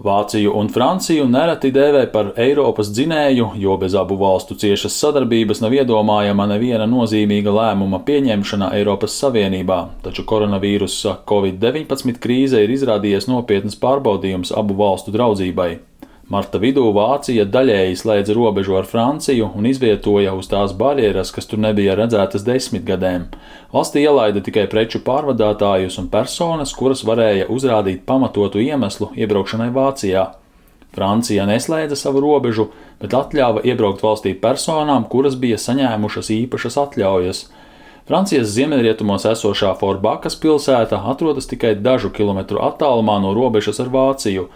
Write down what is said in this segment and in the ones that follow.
Vāciju un Franciju nereti dēvē par Eiropas dzinēju, jo bez abu valstu ciešas sadarbības nav iedomājama neviena nozīmīga lēmuma pieņemšana Eiropas Savienībā, taču koronavīrusa Covid-19 krīze ir izrādījies nopietnas pārbaudījums abu valstu draudzībai. Marta vidū Vācija daļēji slēdza robežu ar Franciju un izvietoja uz tās barjeras, kas tur nebija redzētas 10 gadiem. Valstī ielaida tikai preču pārvadātājus un personas, kuras varēja uzrādīt pamatotu iemeslu iebraukšanai Vācijā. Francija neslēdza savu robežu, bet atļāva iebraukt valstī personām, kuras bija saņēmušas īpašas atļaujas. Francijas ziemeļrietumos esošā Forbakas pilsēta atrodas tikai dažu kilometru attālumā no robežas ar Vāciju.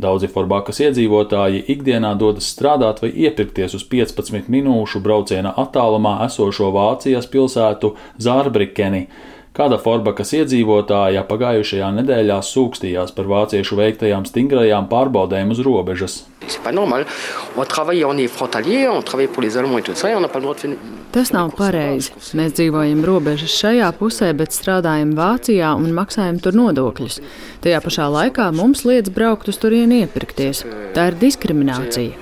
Daudzi Forbakas iedzīvotāji ikdienā dodas strādāt vai iepirkties uz 15 minūšu brauciena attālumā esošo Vācijas pilsētu Zārbrikeni. Kāda Forbakas iedzīvotāja pagājušajā nedēļā sūkstījās par vāciešu veiktajām stingrajām pārbaudēm uz robežas. Tas nav pareizi. Mēs dzīvojam robežas šajā pusē, bet strādājam Vācijā un maksājam tur nodokļus. Tajā pašā laikā mums liedz braukt uz turieni iepirkties. Tā ir diskriminācija.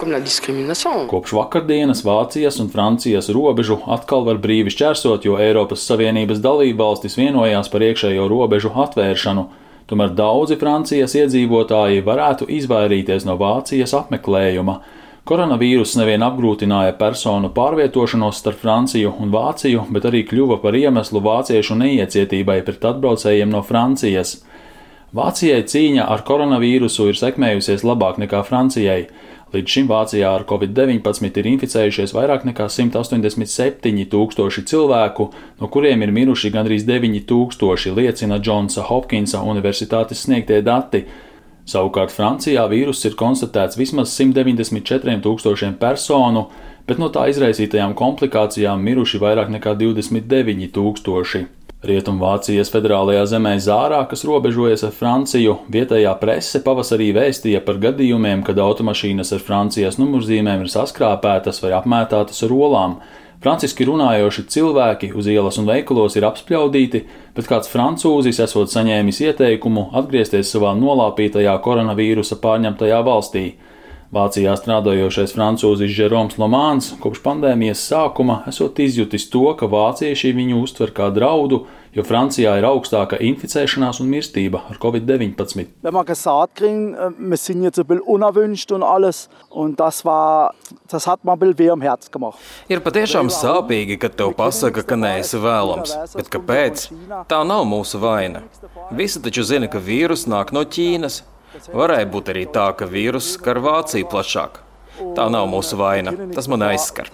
Kopš vakardienas Vācijas un Francijas robežu atkal var brīvi šķērsot, jo Eiropas Savienības dalībvalstis vienojās par iekšējo robežu atvēršanu. Tomēr daudzi Francijas iedzīvotāji varētu izvairīties no Vācijas apmeklējuma. Koronavīruss nevien apgrūtināja personu pārvietošanos starp Franciju un Vāciju, bet arī kļuva par iemeslu vāciešu neiecietībai pret atbraucējiem no Francijas. Vācijai cīņa ar koronavīrusu ir sekmējusies labāk nekā Francijai. Līdz šim Vācijā ar Covid-19 ir inficējušies vairāk nekā 187 000 cilvēku, no kuriem ir miruši gandrīz 9 000, liecina Džonsa Hopkinsa universitātes sniegtie dati. Savukārt Francijā vīruss ir konstatēts vismaz 194 000 personu, bet no tā izraisītajām komplikācijām miruši vairāk nekā 29 000. Rietumvācijas federālajā zemē Zārā, kas robežojas ar Franciju, vietējā prese pavasarī vēstīja par gadījumiem, kad automašīnas ar Francijas numurzīmēm ir saskrāpētas vai apmētātas ar olām. Franciski runājoši cilvēki uz ielas un veikalos ir apspļaudīti, bet kāds francūzis esot saņēmis ieteikumu atgriezties savā nolāpītajā koronavīrusa pārņemtajā valstī. Vācijā strādājošais francūzis Jérômes Lomāns kopš pandēmijas sākuma esot izjutis to, ka vācieši viņu uztver kā draudu, jo Francijā ir augstāka inficēšanās un mirstība ar Covid-19. Wenn man gesagt kriegen, wir sind jetzt ein bisschen unerwünscht und alles, und das hat man ein bisschen weh am Herz gemacht. Ir patiešām sāpīgi, kad tev pasaka, ka neesi vēlams, bet kāpēc? Tā nav mūsu vaina. Visi taču zina, ka vīrus nāk no Ķīnas. Varēja būt arī tā, ka vīruss skar Vāciju plašāk. Tā nav mūsu vaina, tas man aizskar.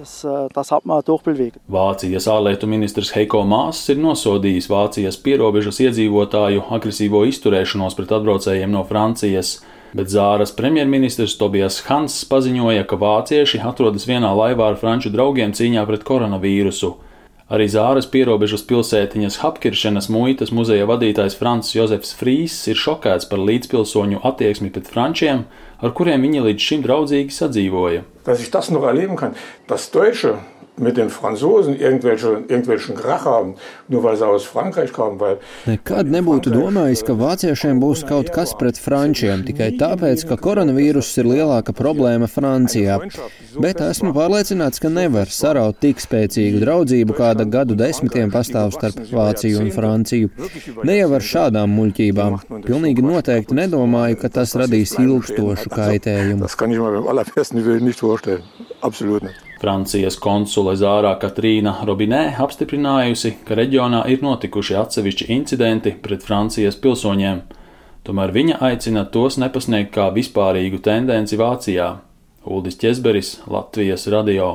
Vācijas ārlietu ministrs Heiko Maas ir nosodījis Vācijas pierobežas iedzīvotāju agresīvo izturēšanos pret atbraucējiem no Francijas, bet Zāras premjerministrs Tobias Hans paziņoja, ka vācieši atrodas vienā laivā ar franču draugiem cīņā pret koronavīrusu. Arī Zāras pierobežas pilsētiņas Hapkiršenas muitas muzeja vadītājs Franz Josefs Frīs ir šokēts par līdzpilsoņu attieksmi pret frančiem, ar kuriem viņi līdz šim draudzīgi sadzīvoja. Dass ich das noch erleben kann, dass Deutsche mit den Franzosen irgendwelchen Krach haben, nur weil sie aus Frankreich kommen, weil nekad nebūtu domājis, ka vāciešiem būs kaut kas pret frančiem, tikai tāpēc, ka koronavīruss ir lielāka problēma Francijā. Bet esmu pārliecināts, ka nevar saraut tik spēcīgu draudzību, kāda gadu desmitiem pastāv starp Vāciju un Franciju. Ne jau ar šādām muļķībām. Pilnīgi noteikti nedomāju, ka tas radīs ilgstošu kaitējumu. Das kann ich mir beim allerbesten Willen nicht vorstellen. Absolut nicht. Francijas konsule Zārā Katrīna Robinē apstiprinājusi, ka reģionā ir notikuši atsevišķi incidenti pret Francijas pilsoņiem. Tomēr viņa aicina tos nepasniegt kā vispārīgu tendenci Vācijā. Uldis Ķezberis, Latvijas radio.